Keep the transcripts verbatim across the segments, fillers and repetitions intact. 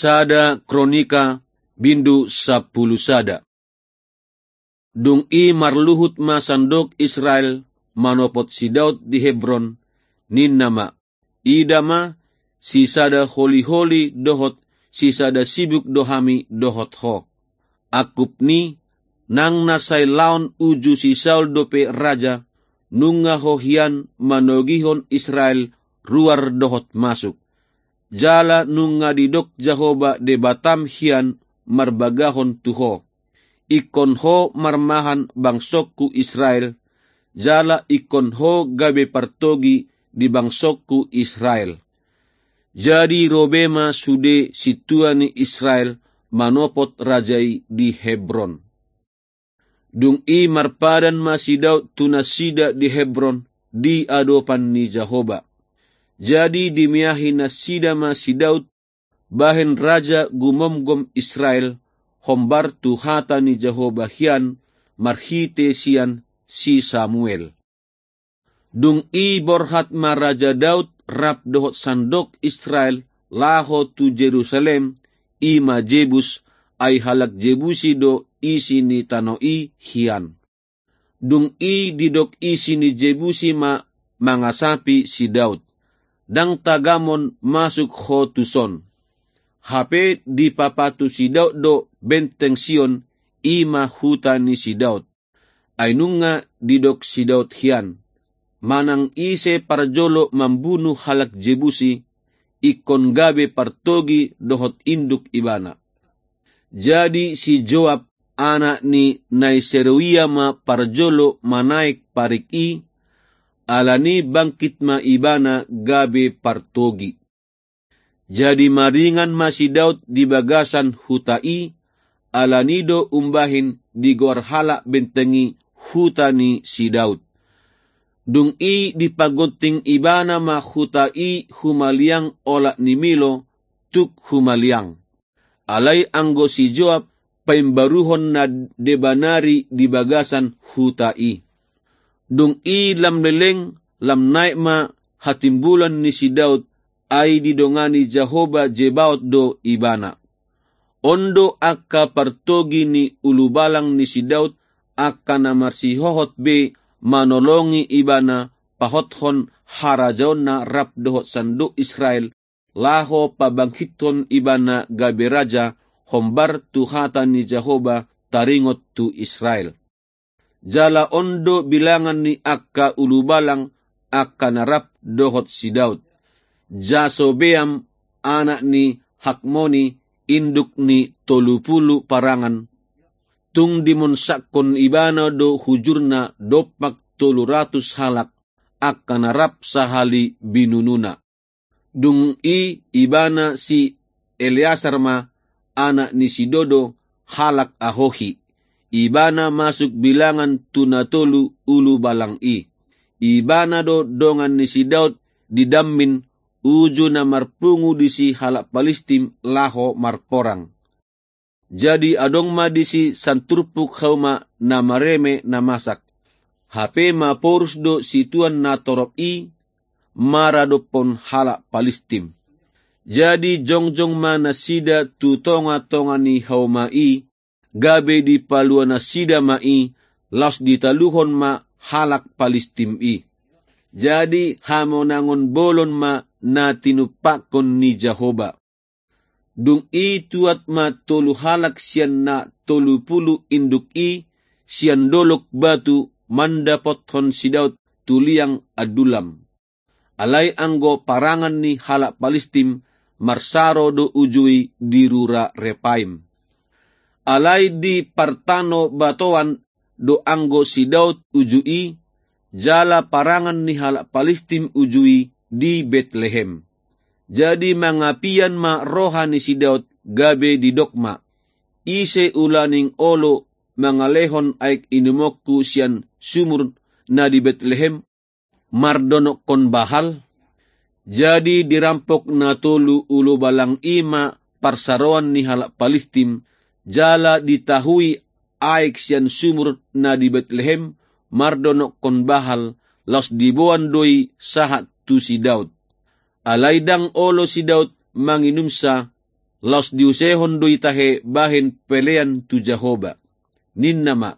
Sada Kronika, bindu sampulu sada. Dung i marluhut ma sandok Israel manopot si Daud di Hebron, ninna ma: Ida ma, sisada holiholi dohot sisada sibuk do hami dohot ho. Angkup ni, nang na sai laon uju si Saul dope raja, nunga ho hian manogihon Israel ruar dohot masuk. Jala nunga didok Jahowa Debatam hian marbagahon tu ho: Ingkon ho marmahan bangsongku Israel, jala ingkon ho gabe partogi di bangsongku Israel. Jadi ro be ma sude sintua ni Israel manopot raja i di Hebron. Dung i marpadan ma si Daud tu nasida di Hebron, di adopan ni Jahowa. Jadi dimeahi nasida ma si Daud, bahen raja gumomgom Israel, hombar tu hata ni Jahowa hian marhite sian si Samuel. Dung i borhat ma Raja Daud rap dohot sandok Israel laho tu Jerusalem, i ma Jebus, ai halak Jebusi do isi ni tano i hian. Dung i didok isi ni Jebusi ma mangasapi si Daud: Ndang tagamon masuk ho tuson. Hape dipapatu si Daud do benteng Sion, i ma huta ni si Daud. Ai nunga didok si Daud hian: Manang ise parjolo mambunu halak Jebusi, ingkon gabe partogi dohot induk ibana. Jadi si Joab, anak ni Nai Seruia ma parjolo manaek parik i, alani bangkit ma ibana gabe partogi. Jadi maringan ma si Daud di bagasan huta i, alani do umbahen digoar halak benteng i huta ni si Daud. Dung i dipagonting ibana ma huta i humaliang olat ni Milo, tuk humaliang. Alai anggo si Joab paimbaruhon na deba nari di bagasan huta i. Dung i lam leleng, lam naek ma hatimbulan ni si Daud, ai didongani Jahowa Zebaot do ibana. On do angka partogi ni ulubalang ni si Daud, angka na marsihohot be manolongi ibana pahothon harajaonna rap dohot sandok Israel, laho pabangkithon ibana gabe raja, hombar tu hata ni Jahowa taringot tu Israel. Jala on do bilangan ni angka ulubalang angka na rap dohot si Daud: Jasobeam, anak ni Hakmoni, induk ni tolu pulu parangan, tung dimonsakkon ibana do hujurna dompak tolu ratus halak, angka na rap sahali binununa. Dung i ibana si Eleasar ma, anak ni si Dodo, halak Ahohi. Ibana masuk bilangan tu na tolu ulubalang i. Ibana do dongan ni si Daud di dammin, uju na marpungu disi halak Palistim laho marporang. Jadi adong ma disi santurpuk hauma na mareme na masak. Hape maporus do situan na torop i maradophon halak Palistim. Jadi jongjong ma nasida tu tongatonga ni hauma i, gabe dipalua nasida ma i, laos ditaluhon ma halak Palistim i. Jadi hamonangon bolon ma na tinumpakkon ni Jahowa. Dung i tuat ma tolu halak sian na tolu pulu induk i sian dolok batu mandapothon si Daud tu liang Adullam. Alai anggo parangan ni halak Palistim marsaro do uju i di rura Repaim. Alai di partanobatoan do anggo si Daud uju i, jala parangan ni halak Palistim uju i di Betlehem. Jadi mangapian ma roha ni si Daud gabe didok ma: Ise ulaning olo mangalehon aek inumonku sian sumur na di Betlehem mardonokkon bahal? Jadi dirampok na tolu ulubalang i ma parsaroan ni halak Palistim, jala ditahui aek sian sumur na di Betlehem mardonokkon bahal, laos diboan do i sahat tu si Daud. Alai ndang olo si Daud manginumsa, laos diusehon do i tahe bahen pelean tu Jahowa. Ninna ma: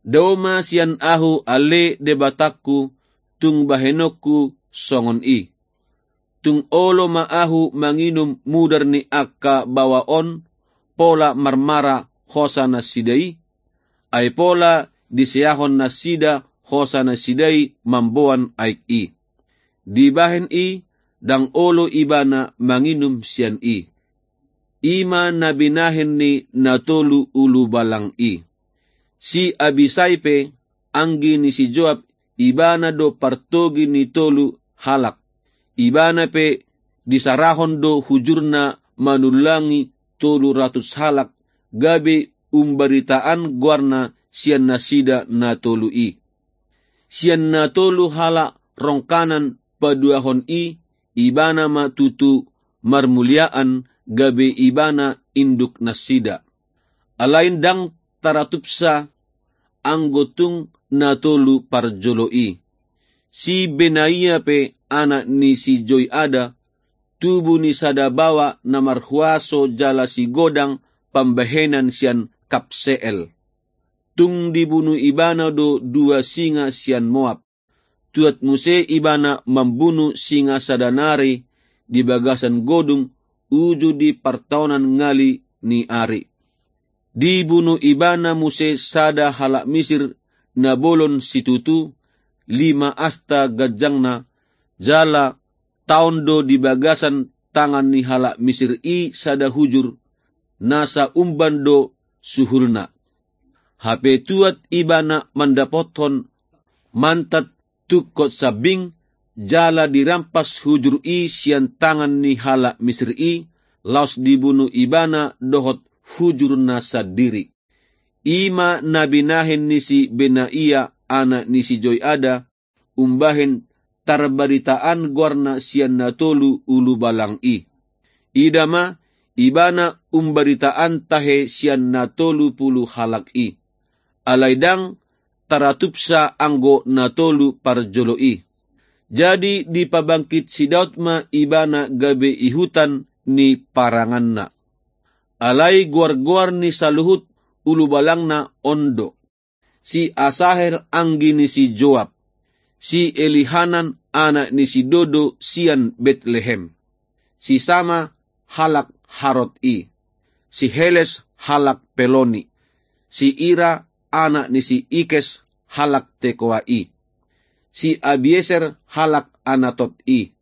Dao ma sian ahu ale Debatangku, tung bahenonku songon i. Tung olo ma ahu manginum mudar ni angka baoa on, pola marmara hosa nasida i, ai pola diseahon nasida hosa nasida i mamboan aek i. Dibahen i, ndang olo ibana manginum sian i. I ma na binahen ni na tolu ulubalang i. Si Abisai pe, anggi ni si Joab, ibana do partogi ni tolu halak. Ibana pe disarahon do hujurna manullangi tolu ratus halak, gabe umbaritaan goarna sian nasida na tolu i. Sian na tolu halak rongkanan paduahon i, ibana ma tutu marmuliaan gabe ibana induk nasida. Alai ndang taratupsa anggo tung na tolu parjolo i. Si Benaia pe, anak ni si Joiada, tubu ni sada baoa na marhuaso jala sigodang pambahenan sian Kabseel. Tung dibunu ibana do dua singa sian Moab. Tuat muse ibana mambunu singa sada nari di bagasan godung uju di partaonan ngali ni ari. Dibunu ibana muse sada halak Misir na bolon situtu, lima asta ganjangna, jala taon do di bagasan tangan ni halak Misir i sada hujur, nasa umban do suhulna. Hape tuat ibana mandapothon mantad tungkot sambing, jala dirampas hujur i sian tangan ni halak Misir i, laos dibunu ibana dohot hujurna sandiri. I ma na binahen ni si Benaia, anak ni si Joiada, umbahen tarbaritaan goarna sian na tolu ulubalang i. Ida ma, ibana umbaritaan tahe sian na tolu pulu halak i. Alai ndang taratupsa anggo na tolu parjolo i. Jadi dipabangkit si Daud ma ibana gabe ihutan ni paranganna. Alai goargoar ni saluhut ulubalangna on do: Si Asahel anggi ni si Joab, si Elihanan anak ni si Dodo sian Betlehem, si Sama halak Harod i, si Heles halak Peloni, si Ira anak ni si Ikes halak Tekoa i, si Abieser halak Anatot i,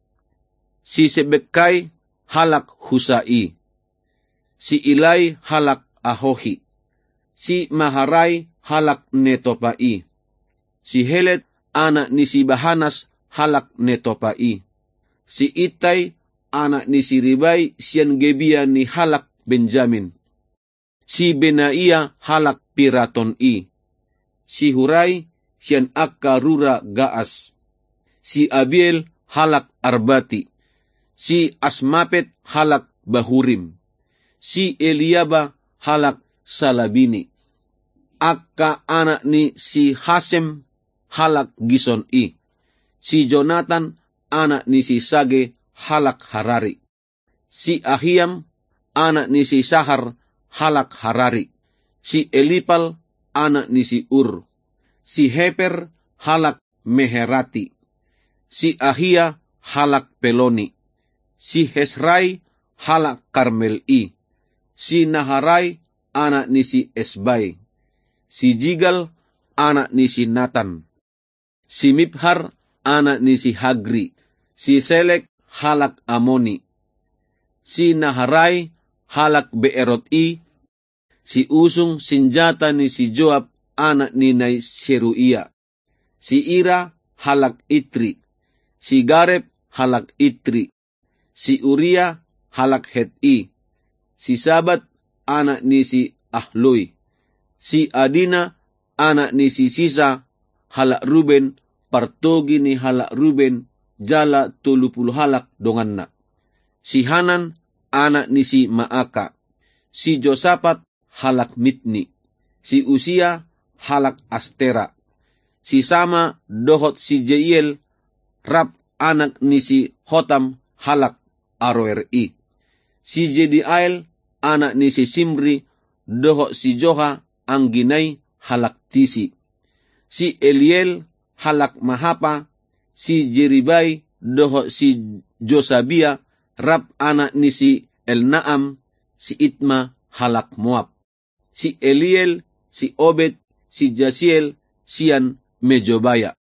si Sebekkai halak Husa i, si Ilai halak Ahohi, si Maharai halak Netopa i, si Helet anak ni si Bahanas halak Netopa i, si Ittai anak ni si Ribai sian Gebia ni halak Benjamin, si Benaia halak Piraton i, si Hurai sian angka rura Gaas, si Abiel halak Arbati, si Asmapet halak Bahurim, si Eliaba halak Salabini, angka anak ni si Hasem halak Gison i, si Jonatan anak ni si Sage halak Harari, si Ahiam anak ni si Sahar halak Harari, si Elipal anak ni si Ur, si Heper halak Meherati, si Ahia halak Peloni, si Hesrai halak Karmel i, si Naharai anak ni si Esbai, si Jigal anak ni si Natan, si Mibhar anak ni si Hagri, si Selek halak Amoni, si Naharai halak Beerot i, si usung sinjata ni si Joab anak ni nai Seruia, si Ira halak Itri, si Gareb halak Itri, si Uria halak Het i, si Sabat anak ni si Ahloi, si Adina anak ni si Sisa halak Ruben, partogi ni halak Ruben, jala tolu pulu halak donganna, si Hanan anak ni si Maaka, si Josapat halak Mitni, si Usia halak Astera, si Sama dohot si Jeiel, rap anak ni si Hotam halak Aroer i, si Jediael anak ni si Simri, dohot si Joha, anggina i, halak Tisi. Si Eliel, halak Mahapa, si Jeribai, dohot si Josabia, rap anak ni si Elnaam, si Itma, halak Moab. Si Eliel, si Obed, si Jasiel, sian Mejobaya.